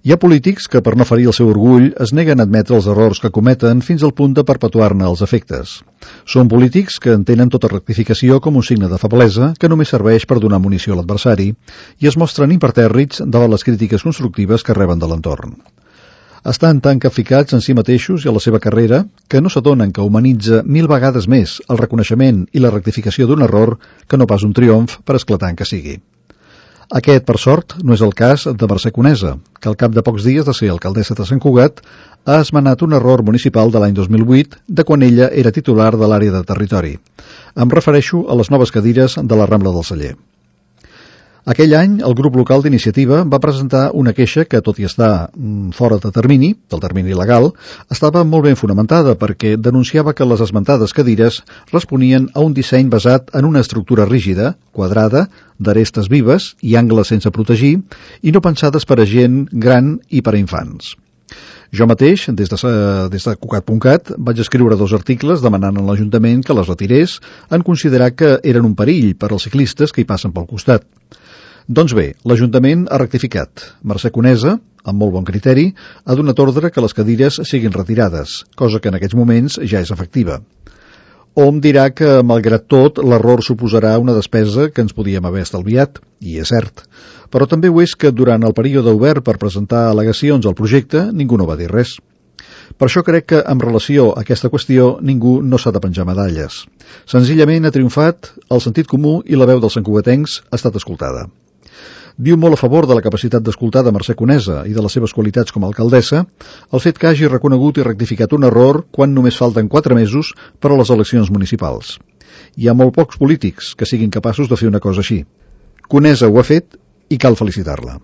Hi ha polítics que, per no ferir el seu orgull, es neguen a admetre els errors que cometen fins al punt de perpetuar-ne els efectes. Són polítics que entenen tota rectificació com un signe de feblesa que només serveix per donar munició a l'adversari i es mostren impertèrrits davant les crítiques constructives que reben de l'entorn. Estan tan capficats en si mateixos i a la seva carrera que no s'adonen que humanitza 1000 vegades més el reconeixement i la rectificació d'un error que no pas un triomf, per esclatant que sigui. Aquest, per sort, no és el cas de Mercè Conesa, que al cap de pocs dies de ser alcaldessa de Sant Cugat ha esmenat un error municipal de l'any 2008 de quan ella era titular de l'àrea de territori. Em refereixo a les noves cadires de la Rambla del Celler. Aquell any, el grup local d'iniciativa va presentar una queixa que, tot i estar fora de termini, del termini legal, estava molt ben fonamentada perquè denunciava que les esmentades cadires responien a un disseny basat en una estructura rígida, quadrada, d'arestes vives i angles sense protegir, i no pensades per a gent gran i per a infants. Jo mateix, des de Cugat.cat, vaig escriure 2 articles demanant a l'Ajuntament que les retirés en considerar que eren un perill per als ciclistes que hi passen pel costat. Doncs bé, l'Ajuntament ha rectificat. Mercè Conesa, amb molt bon criteri, ha donat ordre que les cadires siguin retirades, cosa que en aquests moments ja és efectiva. Hom dirà que, malgrat tot, l'error suposarà una despesa que ens podíem haver estalviat, i és cert. Però també ho és que durant el període obert per presentar al·legacions al projecte ningú no va dir res. Per això crec que, en relació a aquesta qüestió, ningú no s'ha de penjar medalles. Senzillament ha triomfat el sentit comú i la veu dels santcugatencs ha estat escoltada. Diu molt a favor de la capacitat d'escoltar de Mercè Conesa i de les seves qualitats com a alcaldessa el fet que hagi reconegut i rectificat un error quan només falten 4 mesos per a les eleccions municipals. Hi ha molt pocs polítics que siguin capaços de fer una cosa així. Conesa ho ha fet i cal felicitar-la.